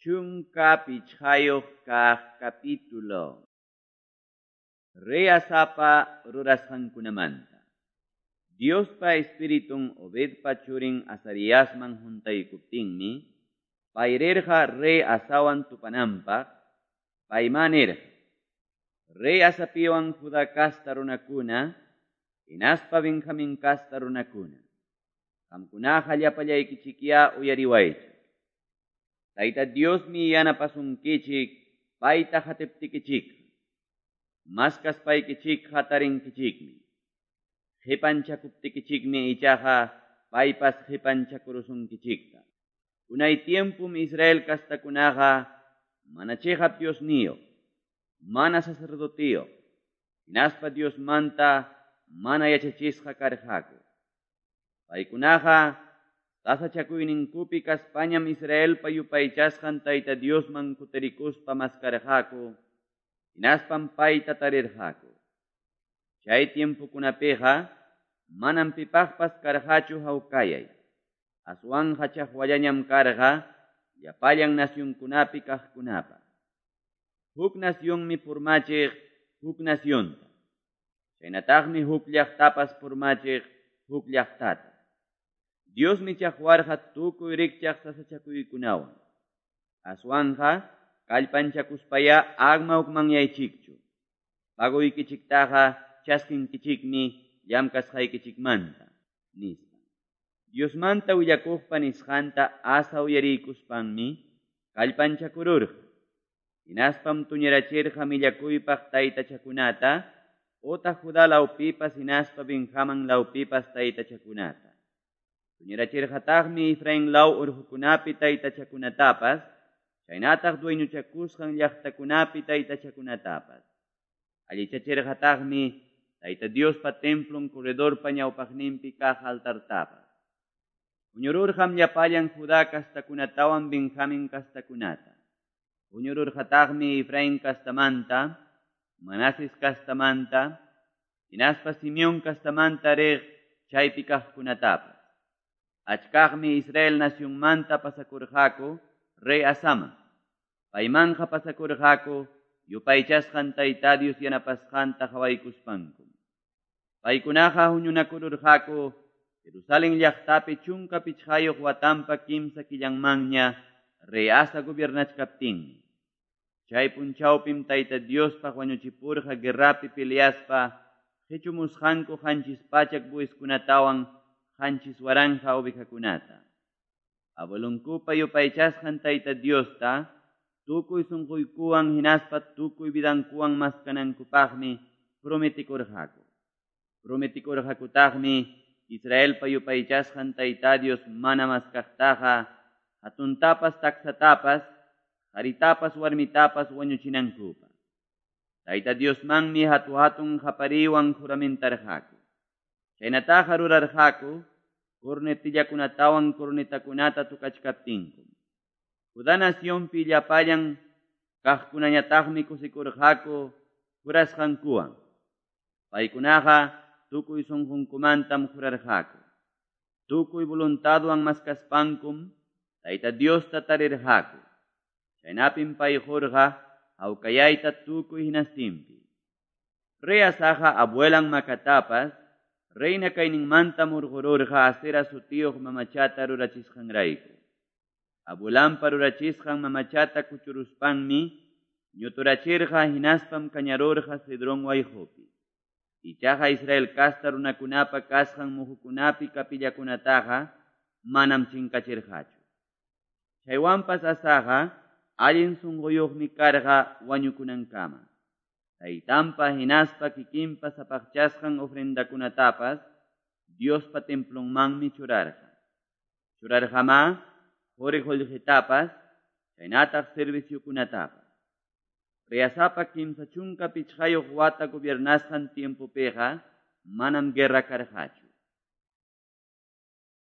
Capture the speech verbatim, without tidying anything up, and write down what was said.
Chunka pichqayuq kaq capítulo. Rey Asapa rurasqankunamanta. Diospa Espiritun Obedpa churin Azariasman huntaykuptinmi, pay rirqa rey Asawan tupananpaq, paymá nirqa: Rey Asapiwan Judá casta runakuna, hinaspa Benjamín casta runakuna, qamkunaqa llapallaykichikyá uyariwaychik. Tayta Diosmi yanapasunkichik payta qatiptikichikqa, maskaspaykichikqa tarinkichikmi. Qipanchakuptikichikmi ichaqa paypas qipanchakurusunkichikta. Unay tiempum Israel kastakunaqa mana chiqap Diosniyuq, mana sacerdotiyuq, hinaspa Diosmanta mana yachachisqa karqaku. Paykunaqa sasachakuyninkupi kaspañam Israelpa yupaychasqan Tayta Diosman kutirikuspa maskarqaku, hinaspam payta tarirqaku. Chay tiempokunapiqa manam pipaqpas karqachu hawkayay. Aswanqa chaqwallañam karqa llapallan nacionkunapi kaqkunapaq. Huk nacionmi purmachiq huk nacionta. Chaynataqmi huk llaqtapas purmachiq huk llaqtata. Diosmi chaqwarqa tukuy rikchaq sasachakuykunawan. Aswanqa kallpanchakuspaya ama hukmanyaychikchu. Paguykichiktaqa chaskinkichikmi llamkasqaykichikmanta, nispa. Diosmanta willakuqpa nisqanta Asa uyariykuspanmi kallpanchakururqa. Hinaspam tuñirachirqa millakuypaq taytachakunata, otaq Judá lawpipas hinaspa Benjamín lawpipas taytachakunata. Tuñirachirqataqmi Efraín law urqukunapi taytachakunatapas, chaynataq dueñochakusqan llaqtakunapi taytachakunatapas. Allichachirqataqmi Tayta Diospa templon corredorpa ñawpaqninpi kaq altartapas. Huñururqam llapallan Judá kastakunatawan Benjamín kastakunata. Huñururqataqmi Efraín kastamanta, Manases kastamanta, hinaspa Simeón kastamanta riq chaypi kaqkunatapas. Achkaqmi Israel nacionmanta pasakurqaku rey Asaman. Paymanqa pasakurqaku yupaychasqan Tayta Dios yanapasqanta qhawaykuspanku. Paykunaqa huñunakururqaku Jerusalén llaqtapi chunka pichqayuq watanpa kimsa killanmanña rey Asa gobiernachkaptinmi. Chay punchawpim Tayta Diospaq wañuchipurqa guerrapi peleaspa qichumusqanku qanchis pachak bueyeskunatawan qanchis waranqa ovejakunata. Abuelonkupa yupaychasqan Tayta Diosta tukuy sunquykuwan hinaspa tukuy vidankuwan maskanankupaqmi prometikurqaku. Prometikurqakutaqmi Israelpa yupaychasqan Tayta Dios mana maskaqtaqa hatuntapas taksatapas, qaritapas warmitapas wañuchinankupaq. Tayta Diosmanmi hatu hatun qapariwan juramentarqaku. Chaynataqa rurarqaku cornetillakunatawan cornetakunata tukachkaptinku. Judá nacionpi llapallan kaqkunañataqmi kusikurqaku jurasqankuwan. Paykunaqa tukuy sunqunkumantam jurarqaku. Tukuy voluntadwan maskaspankum Tayta Diosta tarirqaku. Chaynapim pay qurqa hawkayayta tukuy hinastinpi. Rey Asaqa abuelan Macatapas reina kayninmanta murqururqa Asera sutiyuq mamachata rurachisqanrayku. Abuelanpa rurachisqan mamachata kuchuruspanmi ñuturachirqa hinaspam kañarurqa Cedrón wayqupi. Ichaqa Israel casta runakunapa kasqan muhukunapi kapillakunataqa manam chinkachirqachu. Chaywanpas Asaqa allin sunquyuqmi karqa wañukunankama. Taytanpa hinaspa kikinpa sapaqchasqan ofrendakunatapas Diospa templonmanmi churarqa. Churarqamá quri qullqitapas, chaynataq serviciokunatapas. Rey Asapa kimsa chunka pichqayuq wata gobiernasqan tiempopiqa manam guerra karqachu.